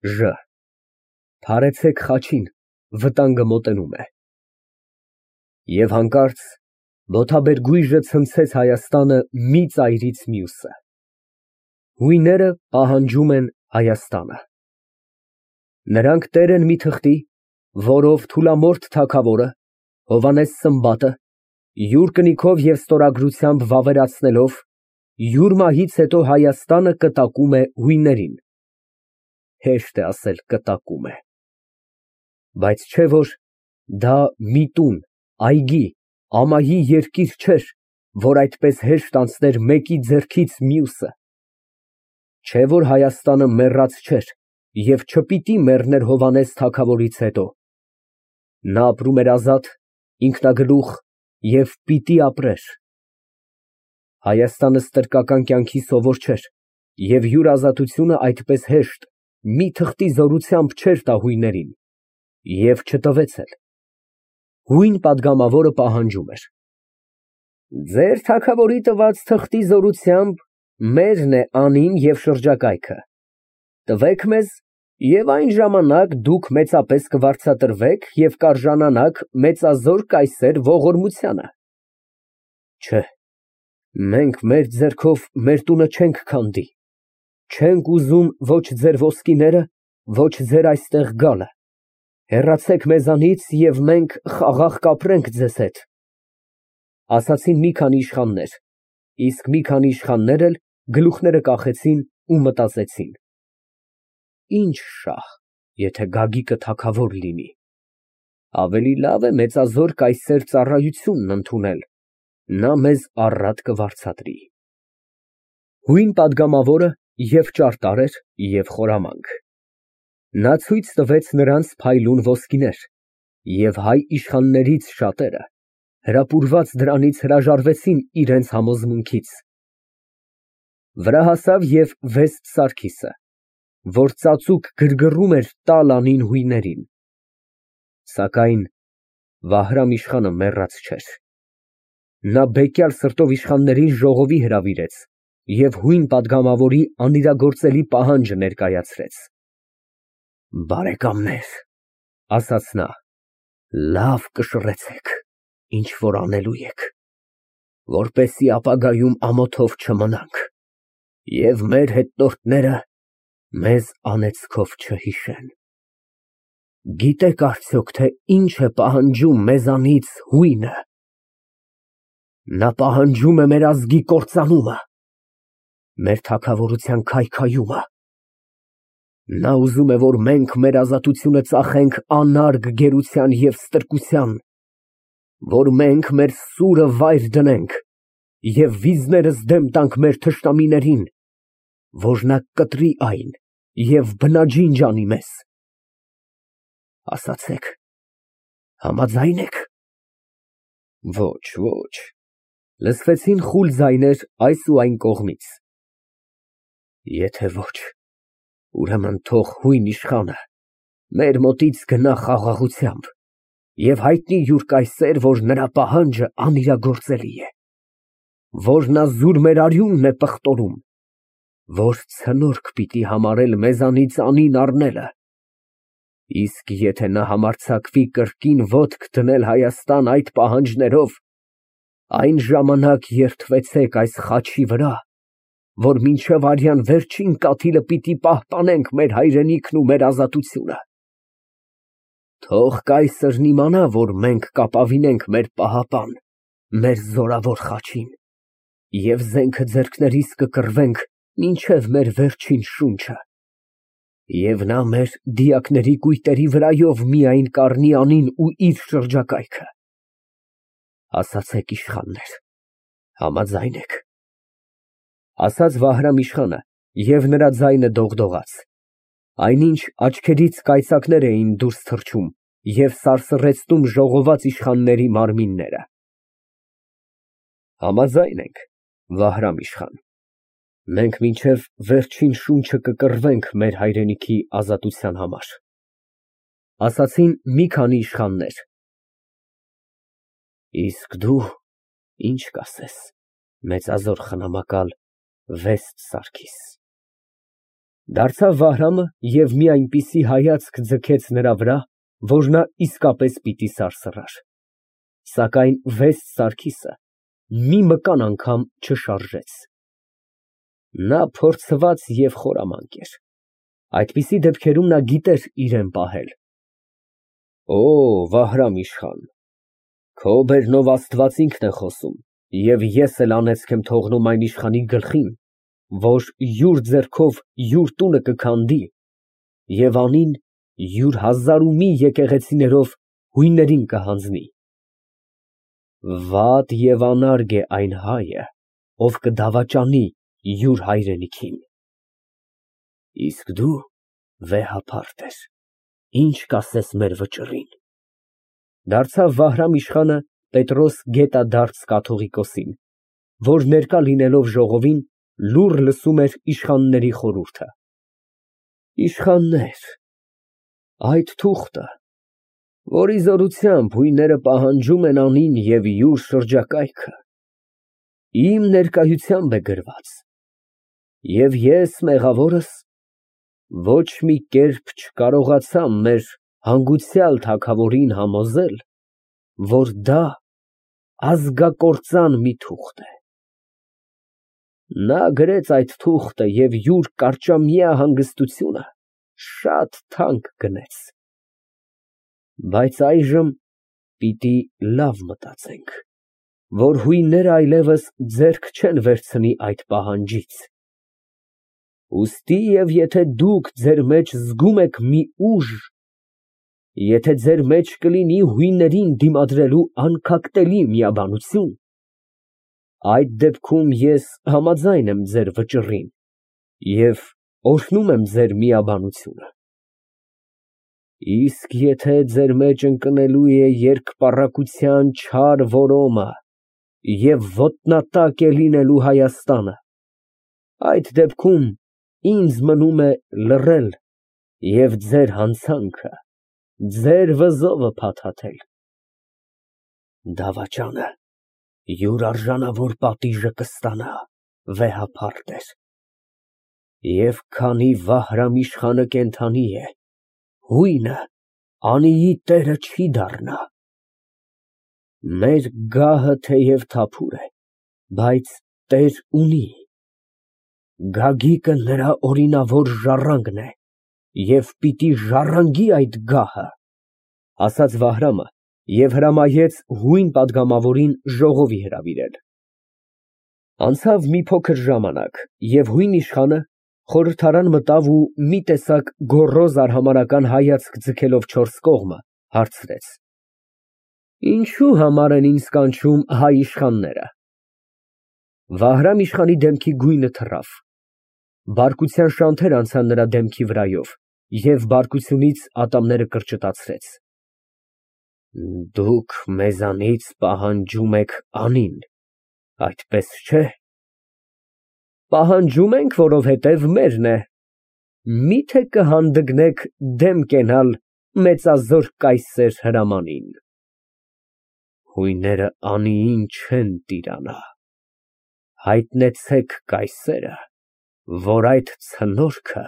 Ժ. Թարեցեք խաչին, վտանգը մոտենում է։ Եվ հանկարծ մոթաբեր գույժը ցնցեց Հայաստանը մի ծայրից մյուսը։ Հույները պահանջում են Հայաստանը։ Նրանք տեր են մի թղթի, որով Թուլամորթ թագավորը, Հովհաննես Սմբատը, յուր կնիքով և ստորագրությամբ վավերացնելով, յուր մահից հետո Հայաստանը կտակում է հույներին (հեշտ է ասել կտակում է), բայց չէ՞ որ դա մի տուն, այգի, ամայի երկիր չէր, որ այդպես հեշտ անցներ մեկի ձեռքից մյուսը, չէ՞ որ Հայաստանը մեռած չէր և չպիտի մեռներ Հովհաննես թագավորից հետո, նա ապրում էր ազատ, ինքնագլուխ և պիտի ապրեր։ Հայաստանը ստրկական կյանքի սովոր չէր և յուր ազատությունը այդպես հեշտ, մի թղթի զորությամբ չէր տա հույներին և չտվեց էլ։ Հույն պատգամավորը պահանջում էր. Ձեր թագավորի տված թղթի զորությամբ մերն է անին և շրջակայքը, տվեք մեզ և այն ժամանակ դուք մեծապես կվարձատրվեք և կարժանանաք մեծազոր կայսեր ողորմությանը։ Չէ, մենք մեր ձեռքով մեր տունը չենք քանդի, չենք ուզում ոչ ձեր ոսկիները, ոչ ձեր այստեղ գալը, հեռացեք մեզանից և մենք խաղաղ կապրենք ձեզ հետ, ասացին մի քանի իշխաններ, իսկ մի քանի իշխաններ էլ գլուխները կախեցին ու մտածեցին. «Ինչ շահ, եթե Գագիկը թագավոր լինի, ավելի լավ է մեծազոր կայսեր ծառայությունն ընդունել, նա մեզ առատ կվարձատրի»։ Հույն պատգամավորը և ճարտար էր, և խորամանկ։ Նա ցույց տվեց նրանց փայլուն ոսկիներ, և հայ իշխաններից շատերը, հրապուրված դրանից հրաժարվեցին իրենց համոզմունքից։ Վրա հասավ և Վեստ Սարգիսը, որ ծածուկ գրգռում էր տալ անին հույներին։ Սակայն Վահրամ իշխանը մեռած չէր։ Նա բեկյալ սրտով իշխաններին ժողովի հրավիրեց և հույն պատգամավորի անիրագործելի պահանջը ներկայացրեց։ Բարեկամներ, ասաց նա, լավ կշռեցեք, ինչ որ անելու եք, որպեսզի ապագայում ամոթով չմնանք և մեր հետնորդները մեզ անեծքով չհիշեն։ Գիտեք արդյոք, թե ինչ է պահանջում մեզանից հույնը։ Նա պահանջում է մեր ազգի կործանումը, մեր թագավորության քայքայումը։ Նա ուզում է, որ մենք մեր ազատությունը ծախենք անարգ գերության և ստրկության, որ մենք մեր սուրը վայր դնենք և վիզներս դեմ տանք մեր թշնամիներին, որ նա կտրի այն և բնաջինջ անի մեզ։ Ասացեք, համաձա՞յն եք։ Ոչ, ոչ, լսվեցին խուլ ձայներ այս ու այն կողմից։ Եթե ոչ, ուրեմն թող հույն իշխանը մեր մոտից գնա խաղաղությամբ և հայտնի յուր կայսեր, որ նրա պահանջը անիրագործելի է, որ նա զուր մեր արյունն է պղտորում, որ ցնորք պիտի համարել մեզանից անին առնելը, իսկ եթե նա համարձակվի կրկին ոտք դնել Հայաստան այդ պահանջներով, այն ժամանակ երդվեցեք այս խաչի վրա, որ մինչև արյան վերջին կաթիլը պիտի պահպանենք մեր հայրենիքն ու մեր ազատությունը։ Թող կայսրն իմանա, որ մենք կապավինենք մեր պահապան, մեր զորավոր խաչին և զենքը ձեռքներիս կկռվենք մինչև մեր վերջին շունչը, և նա մեր դիակների կույտերի վրայով միայն կառնի անին ու իր շրջակայքը։ Ասացեք, իշխաններ, համաձա՞յն եք։ Ասաց Վահրամ իշխանը, և նրա ձայնը դողդողաց, այնինչ աչքերից կայծակներ էին դուրս թռչում և սարսռեցնում ժողոված իշխանների մարմինները։ Համաձայն ենք, Վահրամ իշխան, մենք մինչև վերջին շունչը կկռվենք մեր հայրենիքի ազատության համար, ասացին մի քանի իշխաններ։ Իսկ դու ինչ կասես, մեծազոր խնամակալ Վեստ Սարգիս։ Դարձավ Վահրամը և մի այնպիսի հայացք ձգեց նրա վրա, որ նա իսկապես պիտի սարսռար, սակայն վեստ Սարգիսը մի մկան անգամ չշարժեց։ Նա փորձված և խորամանկ էր, այդպիսի դեպքերում նա գիտեր իրան պահել։ Օ, Վահրամ իշխան, քո բերնով Աստված ինքն է խոսում, և ես էլ անեծք եմ թողնում այն իշխանի գլխին, որ յուր ձեռքով յուր տունը կքանդի և անին յուր հազար ու մի եկեղեցիներով հույններին կհանձնի։ Վատ և անարգ է այն հայը, ով կդավաճանի յուր հայրենիքին։ Իսկ դու վեհափարտ ես, ինչ կասես մեր վճռին։ Դարձավ Վահրամ իշխանը Պետրոս գետադարձ կաթողիկոսին, որ ներկա լինելով ժողովին, լուռ լսում էր իշխանների խորհուրդը։ Իշխաններ, այդ թուղթը, որի զորությամբ հույները պահանջում են անին և յուր շրջակայքը, իմ ներկայությամբ է գրված, և ես, մեղավորս, ոչ մի կերպ չկարողացա մեր հանգուցյալ թագավորին համոզել, որ դա ազգակործան մի թուղթ է։ Նա գրեց այդ թուղթը և յուր կարճամյա հանգստությունը շատ թանկ գնեց։ Բայց այժմ պիտի լավ մտածենք, որ հույնները այլևս ձեռք չեն վերցնի այդ պահանջից։ Ուստի և եթե դուք ձեր մեջ զգում եք մի ուժ, եթե ձեր մեջ կլինի հույներին դիմադրելու անքակտելի միաբանություն, այդ դեպքում ես համաձայն եմ ձեր վճռին և օրհնում եմ ձեր միաբանությունը։ Իսկ եթե ձեր մեջ ընկնելու է երկպառակտության չար որոմը և ոտնատակ է լինելու Հայաստանը, այդ դեպքում ինձ մնում է լռել և ձեր հանցանքը, ձեր վզովը փաթաթել։ Դավաճանը յուր արժանավոր պատիժը կստանա, վեհափարտեր, և քանի Վահրամ իշխանը կենդանի է, հույնը անիի տերը չի դառնա։ Մեր գահը թեև թափուր է, բայց տեր ունի, գագիկը նրա օրինավոր ժառանգն է և պիտի ժառանգի այդ գահը, ասաց Վահրամը և հրամայեց հույն պատգամավորին ժողովի հրավիրել։ Անցավ մի փոքր ժամանակ, և հույն իշխանը խորհրդարան մտավ ու մի տեսակ գոռոզ արհամարհական հայացք ձգելով չորս կողմը, հարցրեց. Ինչու համար են ինձ կանչում հայ իշխանները։ Վահրամ իշխանի դեմքի գույնը թռավ, բարկության շանթեր անցան նրա դեմքի վրայով, և բարկությունից ատամները կրճտացրեց։ Դուք մեզանից պահանջում եք անին, այդպես չէ։ Պահանջում ենք, որովհետև մերն է, միթե կհանդգնեք դեմ կենալ մեծազոր կայսեր հրամանին։ Հույները անիին չեն տիրանա, հայտնեցեք կայսերը, որ այդ ցնորքը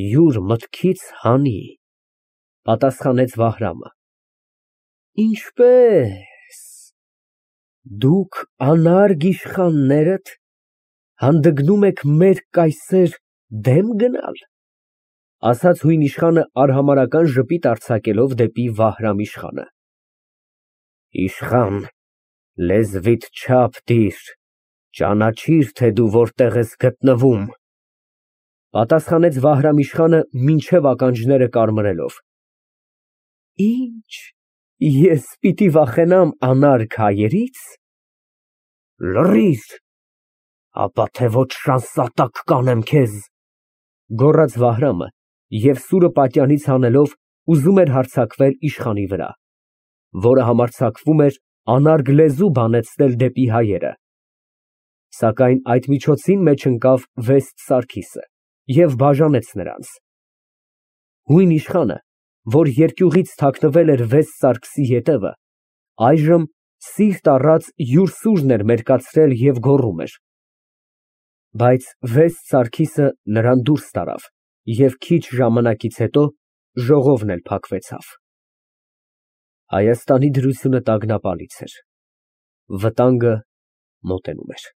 յուր մտքից հանի, պատասխանեց Վահրամը։ Ինչպե՞ս, դուք անարգ իշխաններդ հանդգնում եք մեր կայսեր դեմ գնալ, ասաց հույն իշխանը արհամարհական ժպիտ արձակելով դեպի Վահրամ իշխանը։ Իշխան, լեզվիդ չափ դիր, ճանաչիր, թե դու որտեղ ես գտնվում, պատասխանեց Վահրամ իշխանը մինչև ականջները կարմրելով։ Ինչ, ես պիտի վախենամ անարգ հայերից։ Լռիր, ապա թե ոչ շանսատակ կանեմ քեզ, գոռաց Վահրամը և սուրը պատյանից հանելով ուզում էր հարձակվել իշխանի վրա, որը համարձակվում էր անարգ լեզու բանեցնել դեպի հայերը, սակայն այդ միջոցին մեջ ընկավ վեստ Սարգիսը և բաժանեց նրանց։ Հույն իշխանը, որ երկյուղից թաքնվել էր վեստ Սարգսի ետևը, այժմ սիրտ առած յուր սուրն էր մերկացրել և գոռում էր։ Բայց վեստ Սարգիսը նրան դուրս տարավ Եվ քիչ ժամանակից հետո ժողովն էլ փակվեցավ։ Հայաստանի դրությունը տագնապալից էր, վտանգը մոտենում էր։